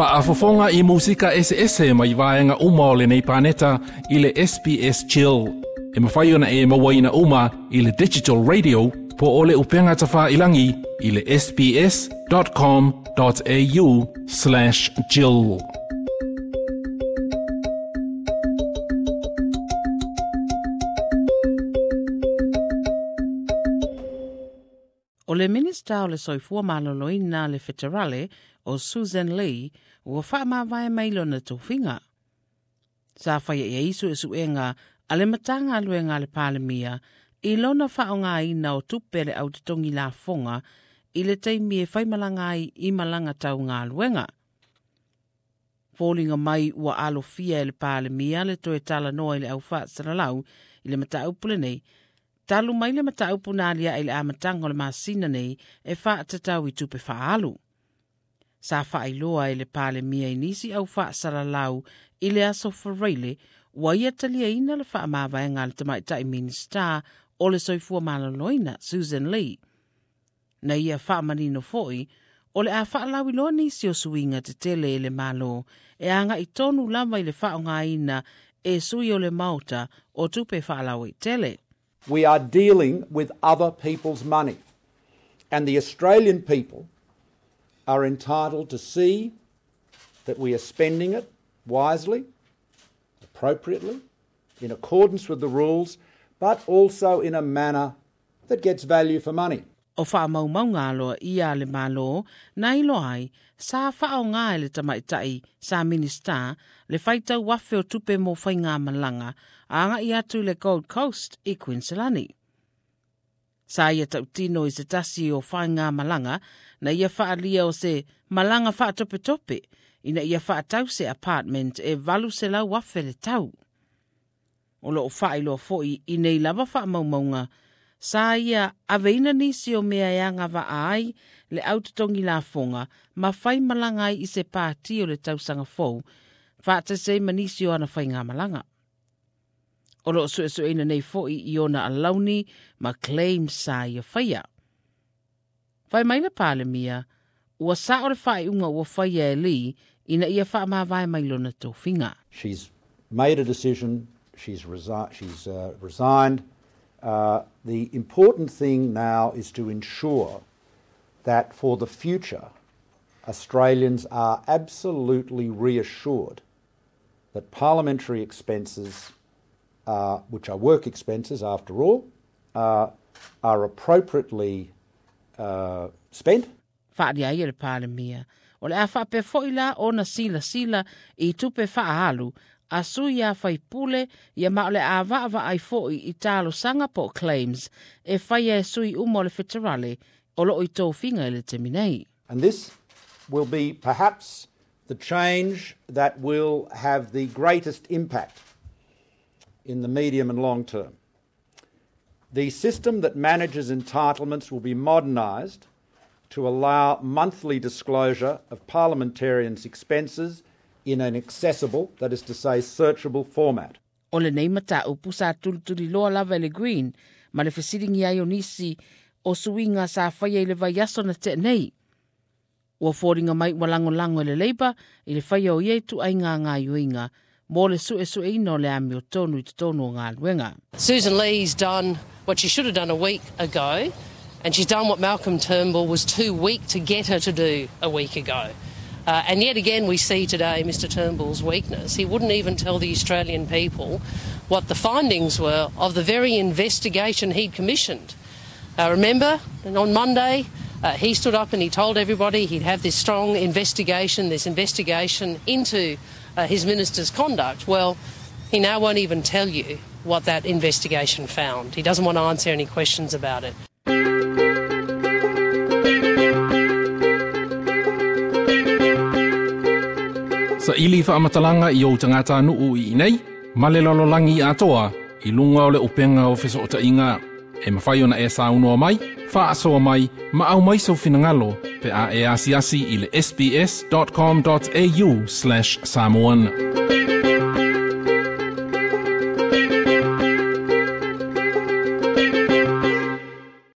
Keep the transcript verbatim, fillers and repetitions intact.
Faafofoga i musika eseese mai vaega uma o lenei paneta i le S B S Chill. E mafai ona e mauaina uma i le Digital Radio po o le upega tafailagi i le S B S dot com dot A U slash chill. O le Minista o le Soifua Maloloina le Feterale o Sussan Ley ua faamavae mai lona tofiga. Sa faia i ai suesuega a le Matagaluega a le Palemia i lona faaaogaina o tupe le au totogi lafoga i le taimi e faimalaga ai i malaga tau galuega. Foliga mai ua alofia e le Palemia le toe talanoa i le au faasalalau i le mataupu lenei, talu mai le mataupu na aliae i le amataga o le masina nei e faatatau i tupe faaalu. Sa faailoa e le Palemia i nisi au faasalalau i le aso Faraile ua ia taliaina le faamavaega a le tamaitai Minista o le Soifua Maloloina Sussan Ley. Na ia faamanino foi o le a faalauiloa nisi o suiga tetele e le Malo e aga'i tonu lava i le faaaogaina e sui o le Maota o tupe faalauaitele. We are dealing with other people's money. And the Australian people are entitled to see that we are spending it wisely, appropriately, in accordance with the rules, but also in a manner that gets value for money. O faamaumauga aloaia a le Malo na iloa ai sa faaaoga e le tamaitai sa Minista le faitau afe o tupe mo faigamalaga aga'i atu i le Gold Coast i Queensland. Sa ia tautino i se tasi o faigamalaga na ia faalia o se malaga faatopetope ina ia faatau se apartment e valu selau afe le tau. O loo faailoa foi i nei lava faamaumauga sa ia aveina nisi o mea e agavaa ai le au totogi lafoga ma fai malaga ai i se pati o le tausaga fou faatasi ai ma nisi o ana faigamalaga. O loo suesueina nei foi i ona alauni ma claim sa ia faia. Fai mai le Palemia, ua sao le faaiuga ua faia e Ley ina ia faamavae mai lona tofiga. She's made a decision, she's, resi- she's uh, resigned. Uh, the important thing now is to ensure that for the future, Australians are absolutely reassured that parliamentary expenses, uh, which are work expenses after all, uh, are appropriately uh, spent. Faalia ai e le Palemia o le a faapea foi la ona silasila i tupe faaalu a sui a faipule ia ma o le a vaavaai foi i talosaga po claims e faia e sui uma o le feterale o loo i tofiga i le taimi nei. And this will be perhaps the change that will have the greatest impact in the medium and long term. The system that manages entitlements will be modernised to allow monthly disclosure of parliamentarians' expenses in an accessible, that is to say, searchable format. O lenei mataupu sa tulituliloa lava e le Green ma le fesiligia ai o nisi o suiga sa faia i le vaiaso na tea nei. Ua foliga mai ua lagolago e le Labour i le faia o ia ituaiga gaoioiga mo le suesueina o le amiotonu i totonu o galuega. Sussan Ley's done what she should have done a week ago, and she's done what Malcolm Turnbull was too weak to get her to do a week ago. Uh, and yet again, we see today Mister Turnbull's weakness. He wouldn't even tell the Australian people what the findings were of the very investigation he'd commissioned. Uh, remember, on Monday, uh, he stood up and he told everybody he'd have this strong investigation, this investigation into uh, his minister's conduct. Well, he now won't even tell you what that investigation found. He doesn't want to answer any questions about it. Saili faamatalaga i ou tagatanuu i inei, ma le lalolagi atoa, i luga o le upega o fesootaiga. E mafai ona e saunoa mai, faasoa mai, ma aumai sou finagalo, pe a e asiasi i le S B S dot com dot A U slash Samoan.